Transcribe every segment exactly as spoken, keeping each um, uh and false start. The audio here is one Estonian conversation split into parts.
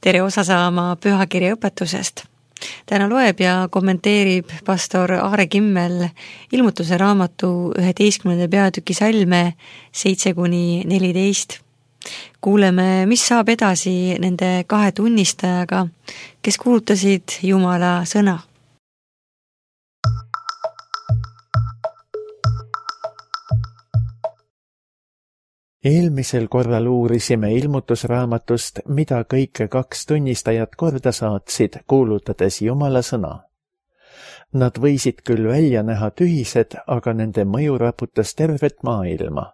tere osa saama pühakirja õpetusest. Täna loeb ja kommenteerib pastor Aare Kimmel ilmutuse raamatu üheteistkümnenda peatüki salme seitse kuni neliteist. Kuuleme, mis saab edasi nende kahe tunnistajaga, kes kuulutasid Jumala sõna. Eelmisel korral uurisime ilmutusraamatust, mida kõike kaks tunnistajat korda saatsid, kuulutades Jumala sõna. Nad võisid küll välja näha tühised, aga nende mõju raputas tervet maailma.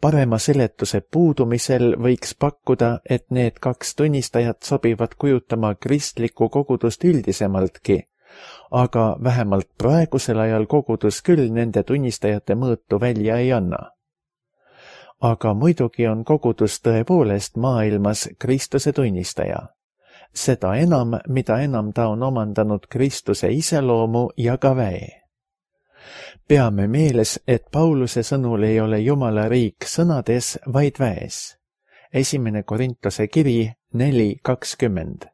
Parema seletuse puudumisel võiks pakkuda, et need kaks tunnistajat sobivad kujutama kristlikku kogudust üldisemaltki, aga vähemalt praegusel ajal kogudus küll nende tunnistajate mõõtu välja ei anna. Aga muidugi on kogudus tõepoolest maailmas Kristuse tunnistaja. Seda enam, mida enam ta on omandanud Kristuse iseloomu ja ka väe. Peame meeles, et Pauluse sõnul ei ole Jumala riik sõnades, vaid väes. Esimene Korintuse kiri neli kakskümmend.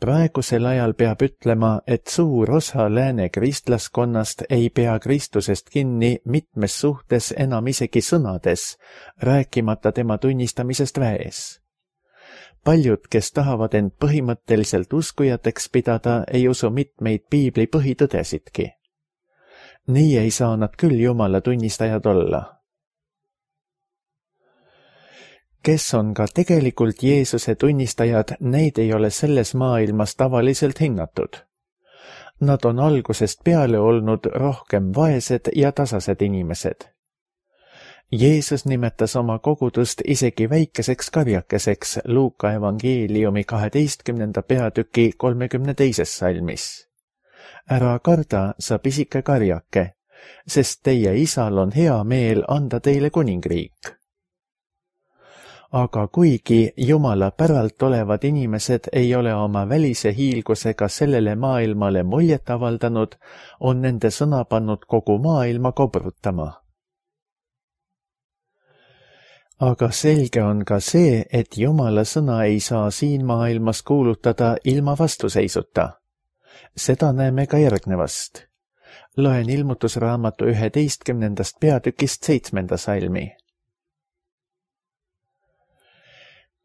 Praegusel ajal peab ütlema, et suur osa lääne kristlaskonnast ei pea Kristusest kinni mitmes suhtes enam isegi sõnades, rääkimata tema tunnistamisest väes. Paljud, kes tahavad end põhimõtteliselt uskujateks pidada, ei usu mitmeid piibli põhitõdesidki. Nii ei saa nad küll Jumala tunnistajad olla. Kes on ka tegelikult Jeesuse tunnistajad, neid ei ole selles maailmas tavaliselt hinnatud. Nad on algusest peale olnud rohkem vaesed ja tasased inimesed. Jeesus nimetas oma kogudust isegi väikeseks karjakeseks Luuka evangeeliumi kaheteistkümnenda peatüki kolmekümne teises salmis. Ära karda, sa pisike karjake, sest teie isal on hea meel anda teile kuningriik. Aga kuigi Jumala päralt olevad inimesed ei ole oma välise hiilgusega sellele maailmale muljet avaldanud, on nende sõna pannud kogu maailma kobrutama. Aga selge on ka see, et Jumala sõna ei saa siin maailmas kuulutada ilma vastuseisuta. Seda näeme ka järgnevast. Loen ilmutusraamatu üheteistkümnendast peatükist seitsmenda salmi.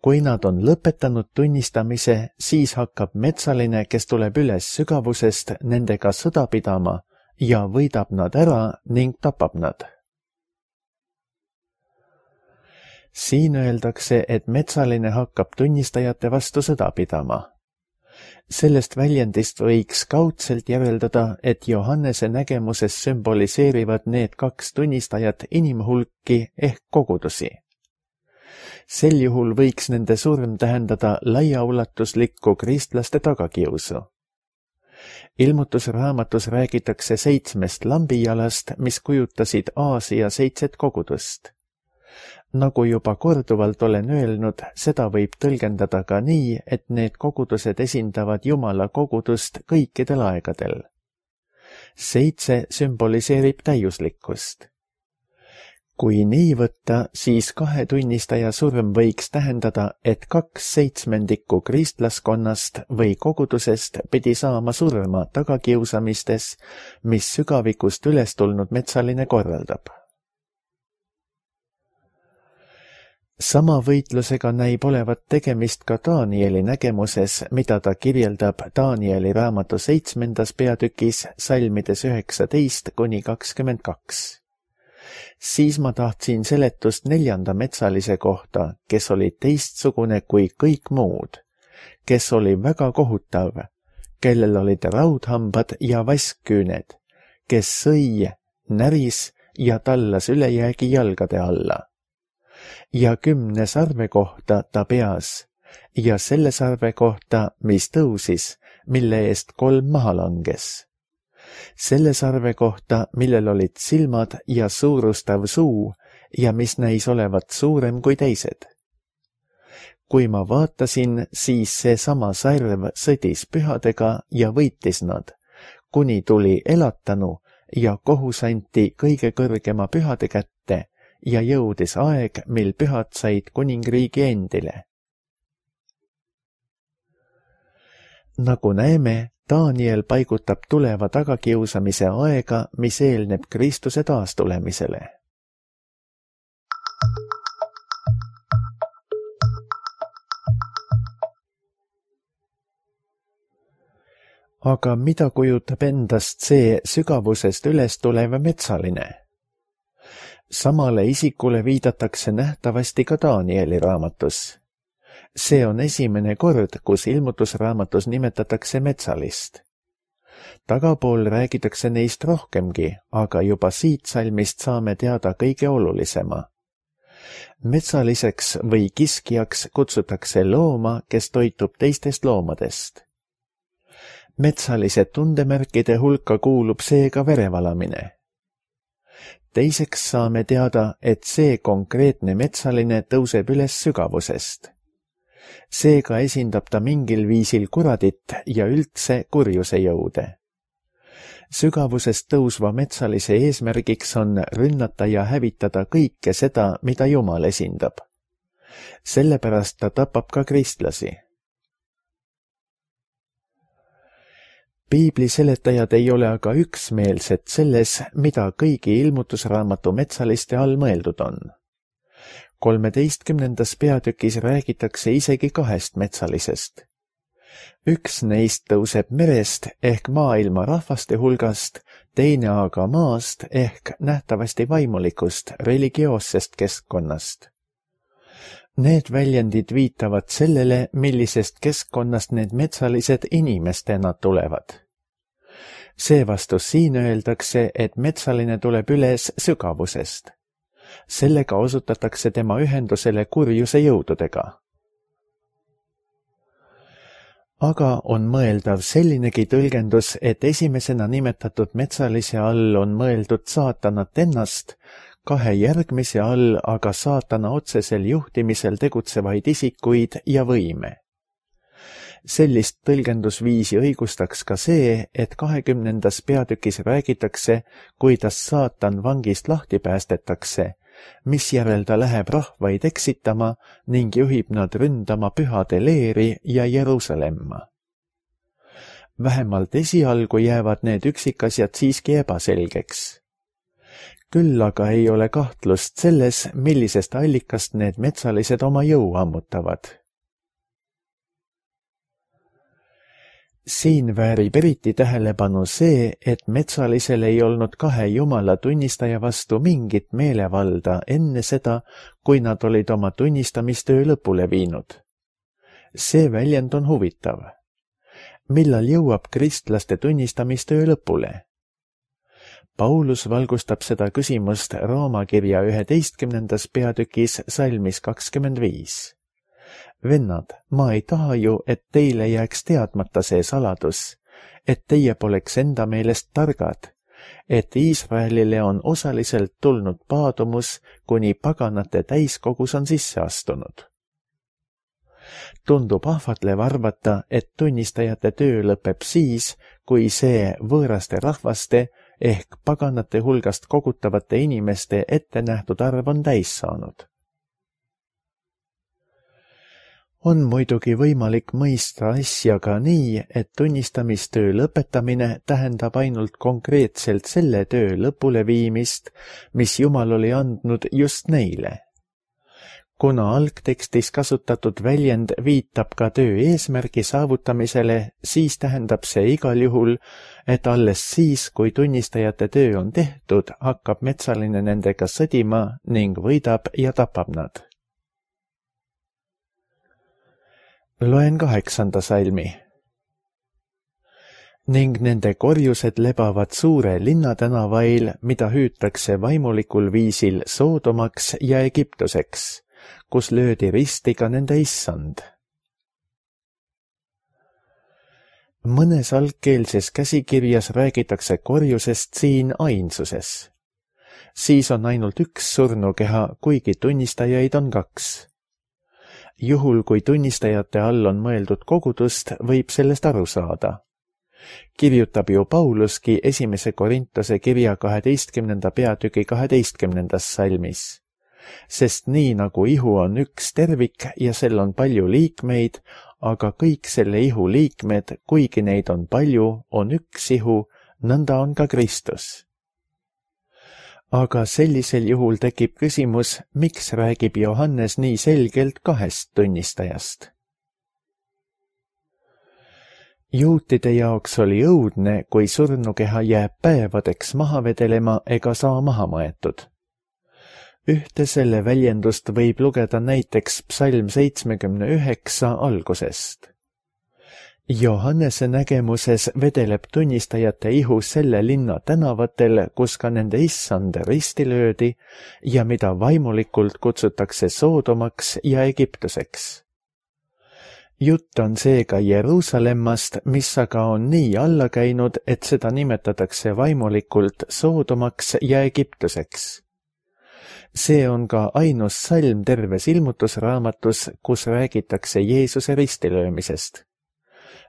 Kui nad on lõpetanud tunnistamise, siis hakkab metsaline, kes tuleb üles sügavusest, nendega sõda pidama ja võidab nad ära ning tapab nad. Siin öeldakse, et metsaline hakkab tunnistajate vastu sõda pidama. Sellest väljendist võiks kaudselt järeldada, et Johannese nägemuses sümboliseerivad need kaks tunnistajat inimhulki ehk kogudusi. Sel juhul võiks nende surm tähendada laiaulatuslikku kristlaste tagakiusu. Ilmutusraamatus räägitakse seitsmest lambijalast, mis kujutasid Aasia seitset kogudust. Nagu juba korduvalt olen öelnud, seda võib tõlgendada ka nii, et need kogudused esindavad Jumala kogudust kõikidel aegadel. Seitse sümboliseerib täiuslikkust. Kui nii võtta, siis kahe tunnistaja surm võiks tähendada, et kaks seitsmendikku kristlaskonnast või kogudusest pidi saama surma tagakiusamistes, mis sügavikust üles tulnud metsaline korraldab. Sama võitlusega näib olevat tegemist ka Danieli nägemuses, mida ta kirjeldab Danieli raamatu seitsmendas peatükis salmides üheksateist kuni kakskümmend kaks. Siis ma tahtsin seletust neljanda metsalise kohta, kes oli teistsugune kui kõik muud, kes oli väga kohutav, kellel olid raudhambad ja vaskküüned, kes sõi, näris ja tallas ülejäägi jalgade alla. Ja kümne sarve kohta ta peas ja selle sarve kohta, mis tõusis, mille eest kolm maha langes. Selle sarve kohta, millel olid silmad ja suurustav suu ja mis näis olevat suurem kui teised. Kui ma vaatasin, siis seesama sarv sõdis pühadega ja võitis nad, kuni tuli elatanu ja kohus anti kõige kõrgema pühade kätte ja jõudis aeg, mil pühad said kuningriigi endile. Nagu näeme, Daniel paigutab tuleva tagakiusamise aega, mis eelneb Kristuse taastulemisele. Aga mida kujutab endast see sügavusest üles tulev metsaline? Samale isikule viidatakse nähtavasti ka Danieli raamatus. See on esimene kord, kus ilmutusraamatus nimetatakse metsalist. Tagapool räägitakse neist rohkemgi, aga juba siit salmist saame teada kõige olulisema. Metsaliseks või kiskjaks kutsutakse looma, kes toitub teistest loomadest. Metsalise tundemärkide hulka kuulub seega verevalamine. Teiseks saame teada, et see konkreetne metsaline tõuseb üles sügavusest. Seega esindab ta mingil viisil kuradit ja üldse kurjuse jõude. Sügavusest tõusva metsalise eesmärgiks on rünnata ja hävitada kõike seda, mida Jumal esindab. Sellepärast ta tapab ka kristlasi. Piibli seletajad ei ole aga üksmeelsed selles, mida kõigi ilmutusraamatu metsaliste all mõeldud on. kolmeteistkümnendas peatükis räägitakse isegi kahest metsalisest. Üks neist tõuseb merest ehk maailma rahvaste hulgast, teine aga maast ehk nähtavasti vaimulikust, religioossest keskkonnast. Need väljendid viitavad sellele, millisest keskkonnast need metsalised inimestena tulevad. Seevastu siin öeldakse, et metsaline tuleb üles sügavusest. Sellega osutatakse tema ühendusele kurjuse jõududega. Aga on mõeldav sellinegi tõlgendus, et esimesena nimetatud metsalise all on mõeldud saatanat ennast, kahe järgmise all aga saatana otsesel juhtimisel tegutsevaid isikuid ja võime. Sellist tõlgendusviisi õigustaks ka see, et kahekümnendas peatükis räägitakse, kuidas saatan vangist lahti päästetakse, misjärel ta läheb rahvaid eksitama ning juhib nad ründama pühade leeri ja Jeruusalemma. Vähemalt esialgu jäävad need üksikasjad siiski ebaselgeks. Küll aga ei ole kahtlust selles, millisest allikast need metsalised oma jõu ammutavad. Siin väärib eriti tähelepanu see, et metsalisel ei olnud kahe Jumala tunnistaja vastu mingit meelevalda enne seda, kui nad olid oma tunnistamistöö lõpule viinud. See väljend on huvitav. Millal jõuab kristlaste tunnistamistöö lõpule? Paulus valgustab seda küsimust Rooma kirja üheteistkümnendas peatükis salmis kakskümmend viis. Vennad, ma ei taha ju, et teile jääks teadmata see saladus, et teie poleks enda meelest targad, et Iisraelile on osaliselt tulnud paadumus, kuni paganate täiskogus on sisse astunud. Tundub ahvatlev arvata, et tunnistajate töö lõpeb siis, kui see võõraste rahvaste ehk paganate hulgast kogutavate inimeste ette nähtud arv on täis saanud. On muidugi võimalik mõista asja ka nii, et tunnistamistöö lõpetamine tähendab ainult konkreetselt selle töö lõpuleviimist, mis Jumal oli andnud just neile. Kuna algtekstis kasutatud väljend viitab ka töö eesmärgi saavutamisele, siis tähendab see igal juhul, et alles siis, kui tunnistajate töö on tehtud, hakkab metsaline nendega sõdima ning võidab ja tapab nad. Loen kaheksanda salmi. Ning nende korjused lebavad suure linnatänavail, mida hüütakse vaimulikul viisil Soodomaks ja Egiptuseks, kus löödi risti ka nende issand. Mõnes algkeelses käsikirjas räägitakse korjusest siin ainsuses. Siis on ainult üks surnukeha, kuigi tunnistajaid on kaks. Juhul, kui tunnistajate all on mõeldud kogudust, võib sellest aru saada. Kirjutab ju Pauluski esimese Korintuse kirja kaheteistkümnenda peatüki kaheteistkümnendas salmis. Sest nii nagu ihu on üks tervik ja sel on palju liikmeid, aga kõik selle ihu liikmed, kuigi neid on palju, on üks ihu, nõnda on ka Kristus. Aga sellisel juhul tekib küsimus, miks räägib Johannes nii selgelt kahest tunnistajast? Juutide jaoks oli õudne, kui surnukeha jääb päevadeks maha vedelema ega saa maha maetud. Ühte selle väljendust võib lugeda näiteks psalm seitsmekümne üheksa algusest. Johannese nägemuses vedeleb tunnistajate ihu selle linna tänavatel, kus ka nende issand risti löödi ja mida vaimulikult kutsutakse Soodomaks ja Egiptuseks. Jutt on seega Jeruusalemmast, mis aga on nii alla käinud, et seda nimetatakse vaimulikult Soodomaks ja Egiptuseks. See on ka ainus salm terves ilmutusraamatus, kus räägitakse Jeesuse ristilöömisest.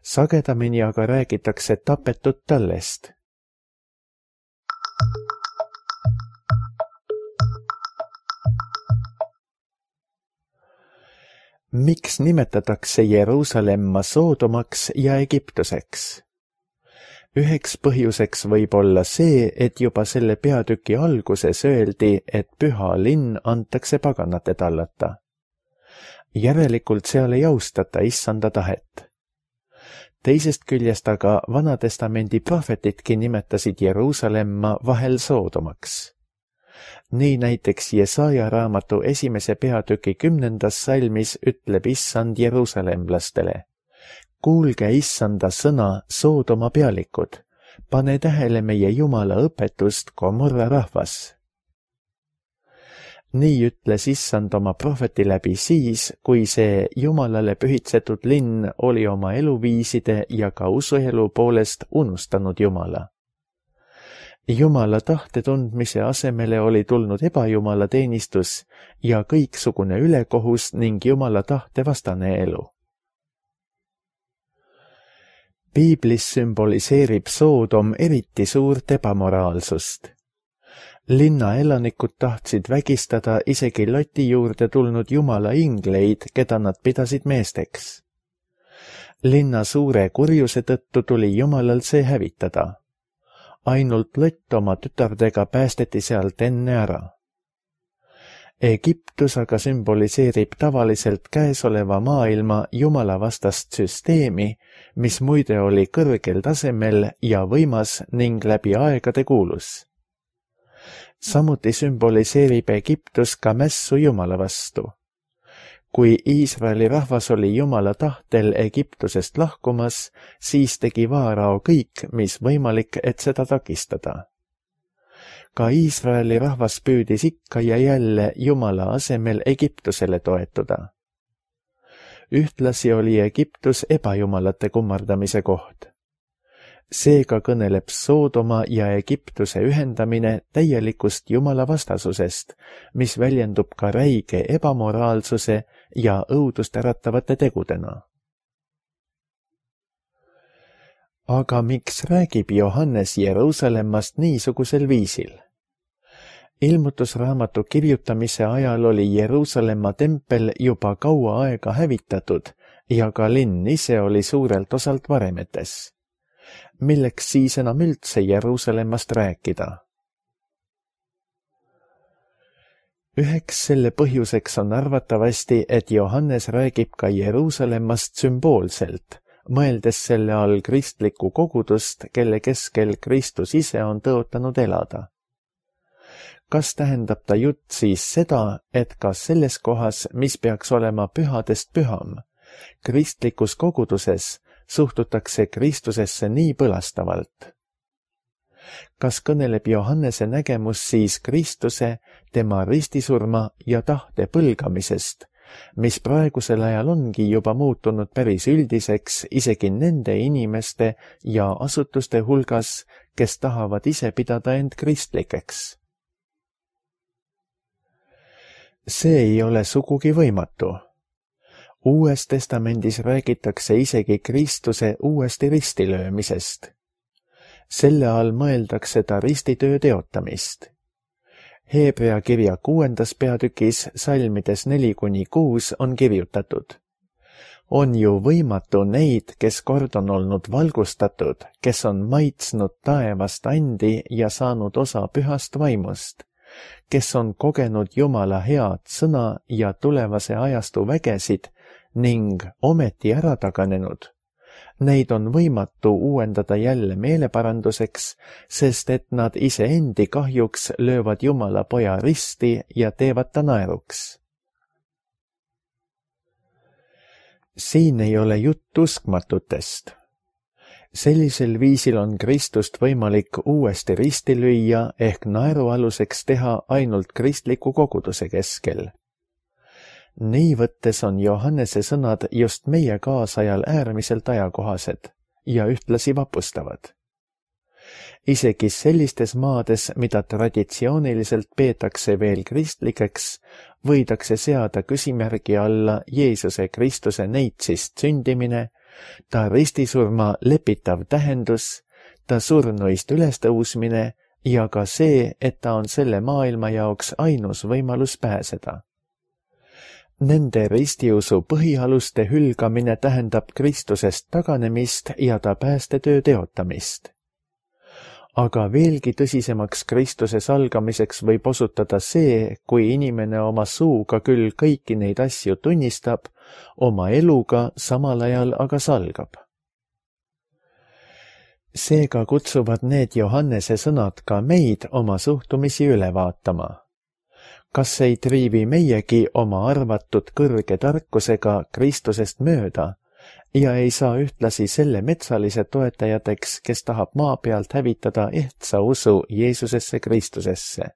Sagedamini aga räägitakse tapetud tallest. Miks nimetatakse Jeruusalemma Soodomaks ja Egiptuseks? Üheks põhjuseks võib olla see, et juba selle peatüki alguses öeldi, et püha linn antakse paganate tallata. Järelikult seal ei austata issanda tahet. Teisest küljest aga Vanatestamendi prohvetidki nimetasid Jeruusalemma vahel Soodomaks. Nii näiteks Jesaja raamatu esimese peatüki kümnendas salmis ütleb issand jeruusalemlastele: kuulge issanda sõna, Soodoma pealikud, pane tähele meie Jumala õpetust, Gomorra rahvas. Nii ütles issand oma prohveti läbi siis, kui see Jumalale pühitsetud linn oli oma eluviiside ja ka usuelu poolest unustanud Jumala. Jumala tahte tundmise asemele oli tulnud ebajumala teenistus ja kõiksugune ülekohus ning Jumala tahte vastane elu. Piiblis sümboliseerib Soodom eriti suurt ebamoraalsust. Linna elanikud tahtsid vägistada isegi Loti juurde tulnud Jumala ingleid, keda nad pidasid meesteks. Linna suure kurjuse tõttu tuli Jumalal see hävitada. Ainult Lott oma tütardega päästeti sealt enne ära. Egiptus aga sümboliseerib tavaliselt käesoleva maailma Jumala vastast süsteemi, mis muide oli kõrgel tasemel ja võimas ning läbi aegade kuulus. Samuti sümboliseerib Egiptus ka mässu Jumala vastu. Kui Iisraeli rahvas oli Jumala tahtel Egiptusest lahkumas, siis tegi Vaarao kõik, mis võimalik, et seda takistada. Ka Iisraeli rahvas püüdis ikka ja jälle Jumala asemel Egiptusele toetuda. Ühtlasi oli Egiptus ebajumalate kummardamise koht. Seega kõneleb Soodoma ja Egiptuse ühendamine täielikust Jumala vastasusest, mis väljendub ka räige ebamoraalsuse ja õudust äratavate tegudena. Aga miks räägib Johannes Jeruusalemmast niisugusel viisil? Ilmutusraamatu kirjutamise ajal oli Jeruusalemma tempel juba kaua aega hävitatud ja ka linn ise oli suurelt osalt varemetes. Milleks siis enam üldse Jeruusalemmast rääkida? Üheks selle põhjuseks on arvatavasti, et Johannes räägib ka Jeruusalemmast sümboolselt, mõeldes selle all kristlikku kogudust, kelle keskel Kristus ise on tõotanud elada. Kas tähendab ta jutt siis seda, et ka selles kohas, mis peaks olema pühadest püham, kristlikus koguduses suhtutakse Kristusesse nii põlastavalt? Kas kõneleb Johannese nägemus siis Kristuse, tema ristisurma ja tahte põlgamisest, mis praegusel ajal ongi juba muutunud päris üldiseks isegi nende inimeste ja asutuste hulgas, kes tahavad ise pidada end kristlikeks? See ei ole sugugi võimatu. Uues testamendis räägitakse isegi Kristuse uuesti ristilöömisest. Selle all mõeldakse ta ristitöö teotamist. Heebrea kirja kuuendas peatükis salmides neli kuni kuus on kirjutatud: On ju võimatu neid, kes kord on olnud valgustatud, kes on maitsnud taevast andi ja saanud osa pühast vaimust, kes on kogenud Jumala head sõna ja tulevase ajastu vägesid ning ometi ära taganenud. Neid on võimatu uuendada jälle meeleparanduseks, sest et nad iseendi kahjuks löövad Jumala poja risti ja teevad ta naeruks. Siin ei ole jutt uskmatutest. Sellisel viisil on Kristust võimalik uuesti risti lüüa ehk naerualuseks teha ainult kristliku koguduse keskel. Nii võttes on Johannese sõnad just meie kaasajal äärmiselt ajakohased ja ühtlasi vapustavad. Isegi sellistes maades, mida traditsiooniliselt peetakse veel kristlikeks, võidakse seada küsimärgi alla Jeesuse Kristuse neitsist sündimine, ta ristisurma lepitav tähendus, ta surnuist ülestõusmine ja ka see, et ta on selle maailma jaoks ainus võimalus pääseda. Nende ristiusu põhialuste hülgamine tähendab Kristusest taganemist ja ta päästetöö teotamist. Aga veelgi tõsisemaks Kristuse salgamiseks võib osutada see, kui inimene oma suuga küll kõiki neid asju tunnistab, oma eluga samal ajal aga salgab. Seega kutsuvad need Johannese sõnad ka meid oma suhtumisi üle vaatama. Kas ei triivi meiegi oma arvatud kõrge tarkusega Kristusest mööda ja ei saa ühtlasi selle metsalise toetajateks, kes tahab maa pealt hävitada ehtsa usu Jeesusesse Kristusesse?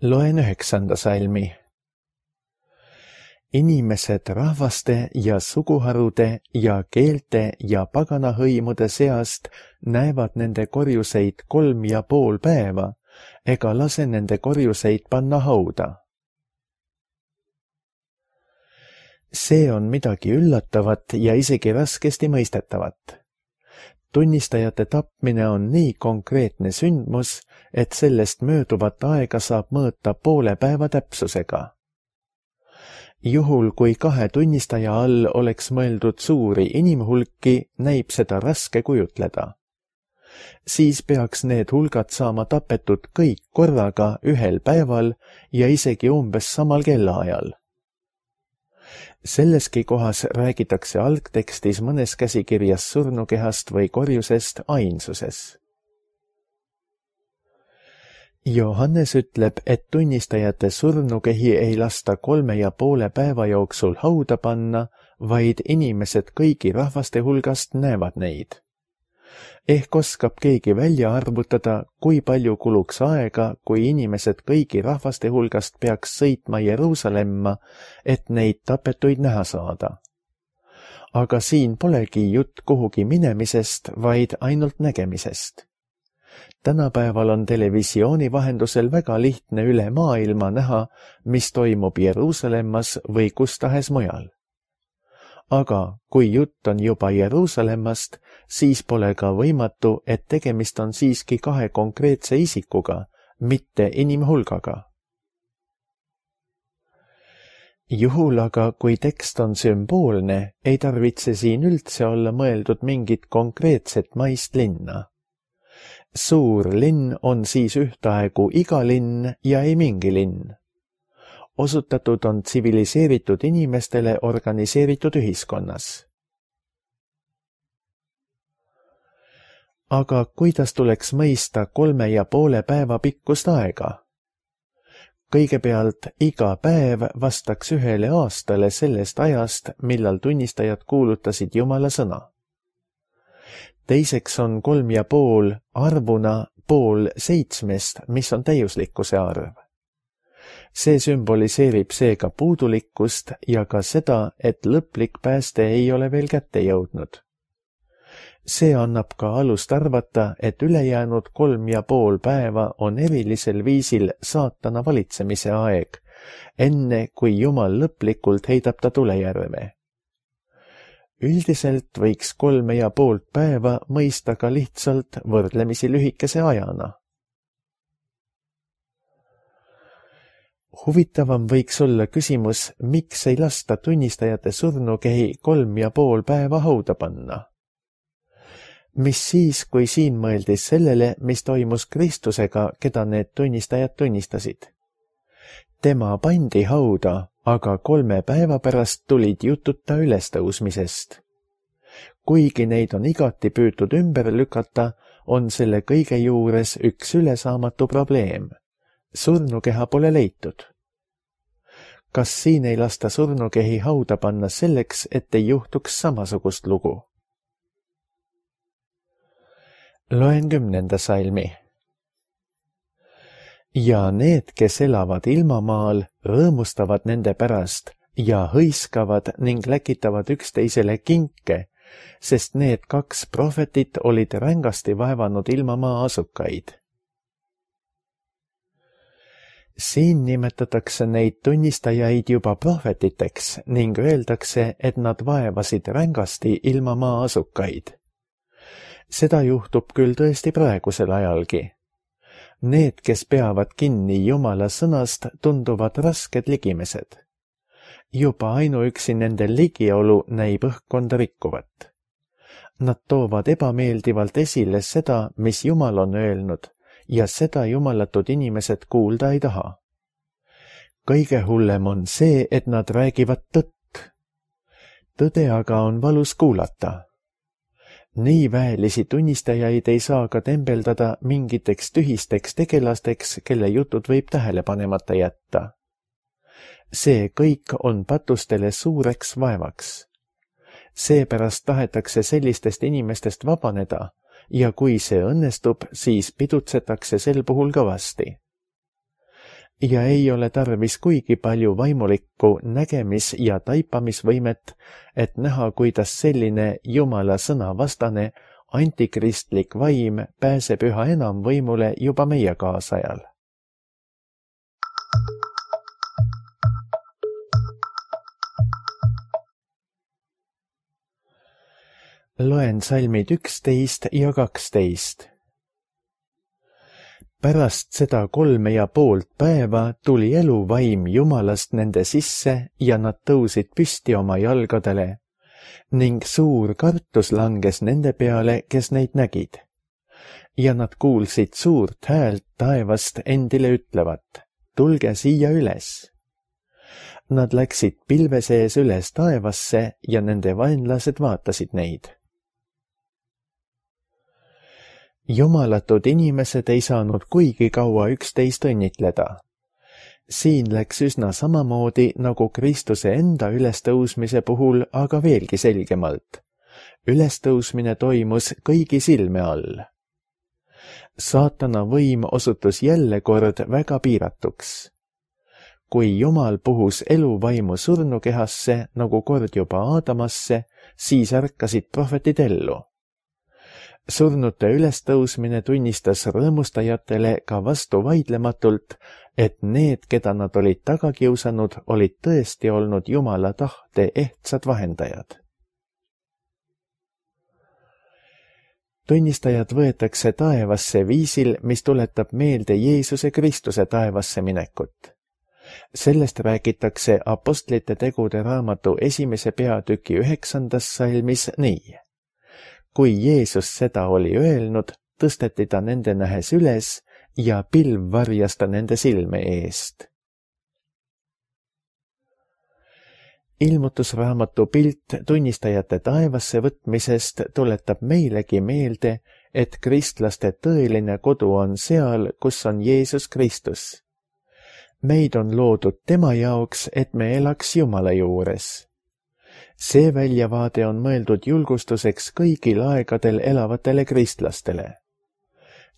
Loen üheksanda salmi. Inimesed rahvaste ja suguharude ja keelte ja paganahõimude seast näevad nende korjuseid kolm ja pool päeva, ega lase nende korjuseid panna hauda. See on midagi üllatavat ja isegi raskesti mõistetavat. Tunnistajate tapmine on nii konkreetne sündmus, et sellest mööduvat aega saab mõõta poole päeva täpsusega. Juhul, kui kahe tunnistaja all oleks mõeldud suuri inimhulki, näib seda raske kujutleda. Siis peaks need hulgad saama tapetud kõik korraga ühel päeval ja isegi umbes samal kellaajal. Selleski kohas räägitakse algtekstis mõnes käsikirjas surnukehast või korjusest ainsuses. Johannes ütleb, et tunnistajate surnukehi ei lasta kolme ja poole päeva jooksul hauda panna, vaid inimesed kõigi rahvaste hulgast näevad neid. Ehk oskab keegi välja arvutada, kui palju kuluks aega, kui inimesed kõigi rahvaste hulgast peaks sõitma Jeruusalemma, et neid tapetuid näha saada. Aga siin polegi jutt kuhugi minemisest, vaid ainult nägemisest. Tänapäeval on televisiooni vahendusel väga lihtne üle maailma näha, mis toimub Jeruusalemmas või kus tahes mujal. Aga kui jutt on juba Jeruusalemmast, siis pole ka võimatu, et tegemist on siiski kahe konkreetse isikuga, mitte inimhulgaga. Juhul aga, kui tekst on sümboolne, ei tarvitse siin üldse olla mõeldud mingit konkreetset maist linna. Suur linn on siis ühtaegu iga linn ja ei mingi linn. Osutatud on tsiviliseeritud inimestele organiseeritud ühiskonnas. Aga kuidas tuleks mõista kolme ja poole päeva pikkust aega? Kõigepealt iga päev vastaks ühele aastale sellest ajast, millal tunnistajad kuulutasid Jumala sõna. Teiseks on kolm ja pool arvuna pool seitsmest, mis on täiuslikkuse arv. See sümboliseerib seega puudulikkust ja ka seda, et lõplik pääste ei ole veel kätte jõudnud. See annab ka alust arvata, et ülejäänud kolm ja pool päeva on erilisel viisil saatana valitsemise aeg, enne kui Jumal lõplikult heidab ta tulejärve. Üldiselt võiks kolme ja poolt päeva mõista ka lihtsalt võrdlemisi lühikese ajana. Huvitavam võiks olla küsimus, miks ei lasta tunnistajate surnukehi kolm ja pool päeva hauda panna. Mis siis, kui siin mõeldis sellele, mis toimus Kristusega, keda need tunnistajad tunnistasid? Tema pandi hauda, aga kolme päeva pärast tulid jututa ülestõusmisest. Kuigi neid on igati püütud ümber lükata, on selle kõige juures üks ülesaamatu probleem. Surnukeha pole leitud. Kas siin ei lasta surnukehi hauda panna selleks, et ei juhtuks samasugust lugu? Loen kümnenda salmi. Ja need, kes elavad ilmamaal, rõõmustavad nende pärast ja hõiskavad ning läkitavad üksteisele kinke, sest need kaks prohvetit olid rängasti vaevanud ilmamaa asukaid. Siin nimetatakse neid tunnistajaid juba prohvetiteks ning öeldakse, et nad vaevasid rängasti ilmamaa asukaid. Seda juhtub küll tõesti praegusel ajalgi. Need, kes peavad kinni Jumala sõnast, tunduvad rasked ligimesed. Juba ainuüksi nende ligiolu näib õhkkonda rikkuvat. Nad toovad ebameeldivalt esile seda, mis Jumal on öelnud, ja seda jumalatud inimesed kuulda ei taha. Kõige hullem on see, et nad räägivad tõtt. Tõde aga on valus kuulata. Nii väelisi tunnistajaid ei saa ka tembeldada mingiteks tühisteks tegelasteks, kelle jutud võib tähele panemata jätta. See kõik on patustele suureks vaevaks. Seepärast tahetakse sellistest inimestest vabaneda ja kui see õnnestub, siis pidutsetakse sel puhul kõvasti. Ja ei ole tarvis kuigi palju vaimulikku nägemis- ja taipamisvõimet, et näha, kuidas selline Jumala sõna vastane antikristlik vaim pääseb üha enam võimule juba meie kaasajal. Loen salmid üksteist ja kaksteist. Pärast seda kolme ja poolt päeva tuli eluvaim Jumalast nende sisse ja nad tõusid püsti oma jalgadele ning suur kartus langes nende peale, kes neid nägid. Ja nad kuulsid suurt häält taevast endile ütlevat, tulge siia üles. Nad läksid pilve sees üles taevasse ja nende vaenlased vaatasid neid. Jumalatud inimesed ei saanud kuigi kaua üksteist õnnitleda. Siin läks üsna samamoodi nagu Kristuse enda ülestõusmise puhul, aga veelgi selgemalt. Ülestõusmine toimus kõigi silme all. Saatana võim osutus jälle kord väga piiratuks. Kui Jumal puhus eluvaimu surnukehasse, nagu kord juba Aadamasse, siis ärkasid prohvetid ellu. Surnute ülestõusmine tunnistas rõõmustajatele ka vastu vaidlematult, et need, keda nad olid taga kiusanud, olid tõesti olnud Jumala tahte ehtsad vahendajad. Tunnistajad võetakse taevasse viisil, mis tuletab meelde Jeesuse Kristuse taevasse minekut. Sellest räägitakse Apostlite tegude raamatu esimese peatüki üheksandas salmis nii. Kui Jeesus seda oli öelnud, tõsteti ta nende nähes üles ja pilv varjas ta nende silme eest. Ilmutusraamatu pilt tunnistajate taevasse võtmisest tuletab meilegi meelde, et kristlaste tõeline kodu on seal, kus on Jeesus Kristus. Meid on loodud tema jaoks, et me elaks Jumala juures. See väljavaade on mõeldud julgustuseks kõigil aegadel elavatele kristlastele.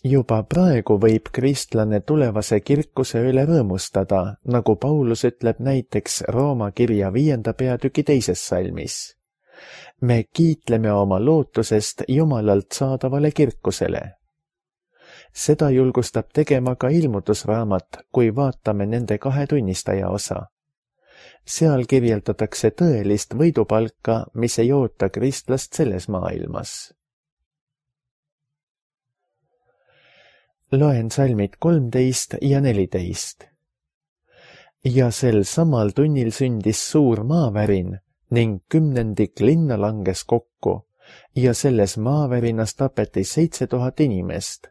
Juba praegu võib kristlane tulevase kirkuse üle rõõmustada, nagu Paulus ütleb näiteks Rooma kirja viienda peatüki teises salmis. Me kiitleme oma lootusest Jumalalt saadavale kirkusele. Seda julgustab tegema ka ilmutusraamat, kui vaatame nende kahe tunnistaja osa. Seal kirjeldatakse tõelist võidupalka, mis ei oota kristlast selles maailmas. Loen salmid kolmteist ja neliteist. ja sel samal tunnil sündis suur maavärin ning kümnendik linna langes kokku ja selles maavärinas tapeti seitse tuhat inimest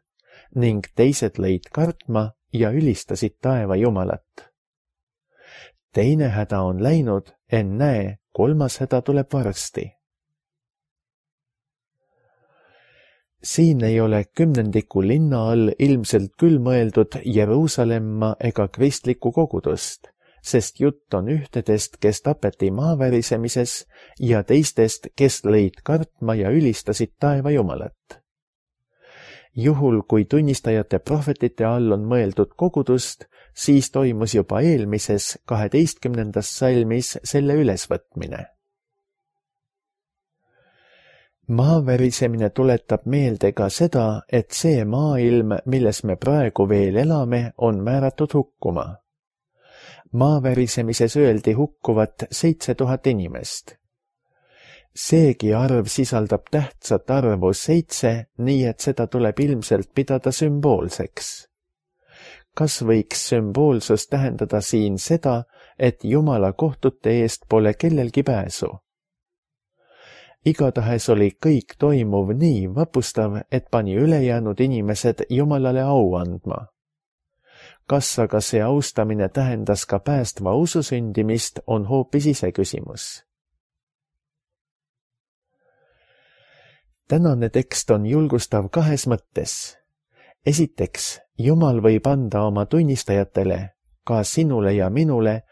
ning teised lõid kartma ja ülistasid taeva Jumalat. Teine häda on läinud, ennäe, kolmas häda tuleb varsti. Siin ei ole kümnendiku linna all ilmselt küll mõeldud Jeruusalemma ega kristlikku kogudust, sest jutt on ühtedest, kes tapeti maavärisemises ja teistest, kes lõid kartma ja ülistasid taeva Jumalat. Juhul, kui tunnistajate prohvetite all on mõeldud kogudust, siis toimus juba eelmises kaheteistkümnendas salmis selle ülesvõtmine. Maavärisemine tuletab meelde ka seda, et see maailm, milles me praegu veel elame, on määratud hukkuma. Maavärisemises öeldi hukkuvat seitse tuhat inimest. Seegi arv sisaldab tähtsat arvu seitse, nii et seda tuleb ilmselt pidada sümboolseks. Kas võiks sümboolsus tähendada siin seda, et Jumala kohtute eest pole kellelgi pääsu? Igatahes oli kõik toimuv nii vapustav, et pani ülejäänud inimesed Jumalale au andma. Kas aga see austamine tähendas ka päästva usu sündimist, on hoopis iseküsimus. Tänane tekst on julgustav kahes mõttes. Esiteks, Jumal võib anda oma tunnistajatele, ka sinule ja minule,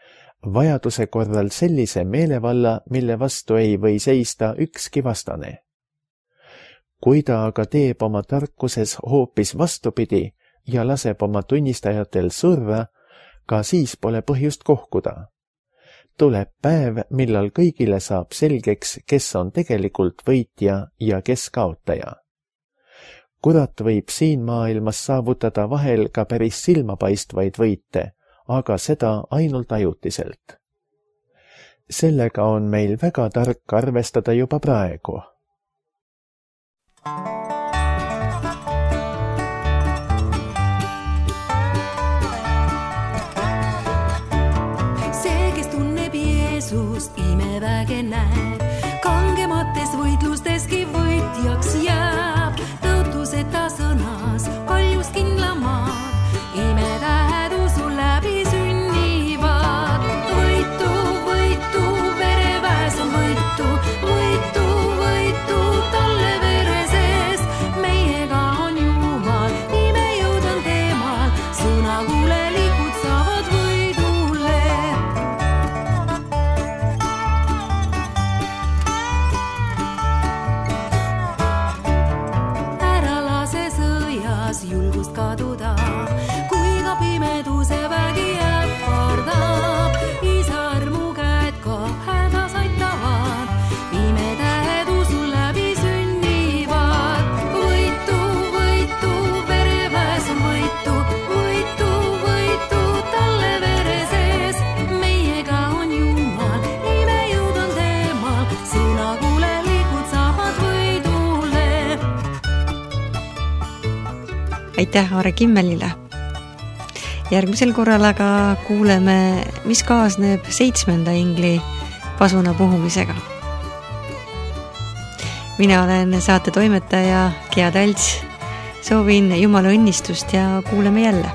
vajaduse korral sellise meelevalla, mille vastu ei või seista ükski vastane. Kui ta aga teeb oma tarkuses hoopis vastupidi ja laseb oma tunnistajatel surra, ka siis pole põhjust kohkuda. Tuleb päev, millal kõigile saab selgeks, kes on tegelikult võitja ja kes kaotaja. Kurat võib siin maailmas saavutada vahel ka päris silmapaistvaid võite, aga seda ainult ajutiselt. Sellega on meil väga tark arvestada juba praegu. See, kes tunneb Jeesust, imeväge näeb, kangemates võitlusteski võitjaks jääb, tõotuseta sõnas, kaljust kindlamaad, imetähed usu läbi sünnivad. Võitu, võitu, vereväes on võitu, võitu, võitu talle vere sees. Meiega on Jumal, imejõud on temal, sõnakulelikud saavad võidule. Ära lase sõjas julgust kaduda, kui ka pimeduse vägi ähvardab. Isa armu käed ka hädas aitavad, imetähed usu läbi sünnivad. Võitu, võitu, vereväes on võitu, võitu, võitu talle vere sees. Meiega on Jumal, imejõud on temal, sõnakulelikud saavad võidule. Aitäh Aare Kimmelile! Järgmisel korral aga kuuleme, mis kaasneb seitsmenda ingli pasuna puhumisega. Mina olen saate toimetaja Gea Talts. Soovin Jumala õnnistust ja kuuleme jälle.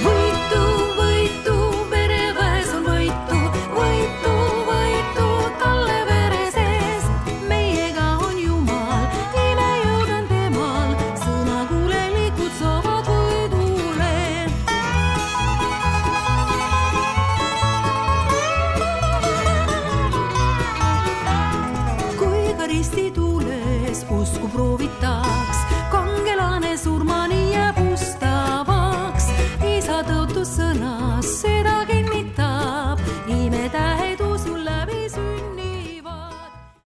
Võitu, võitu, vereväes on võitu, võitu, võitu talle vere sees. Meiega on Jumal, imejõud on temal, sõnakulelikud saavad võidule. Kui ka ristituules usku proovitab,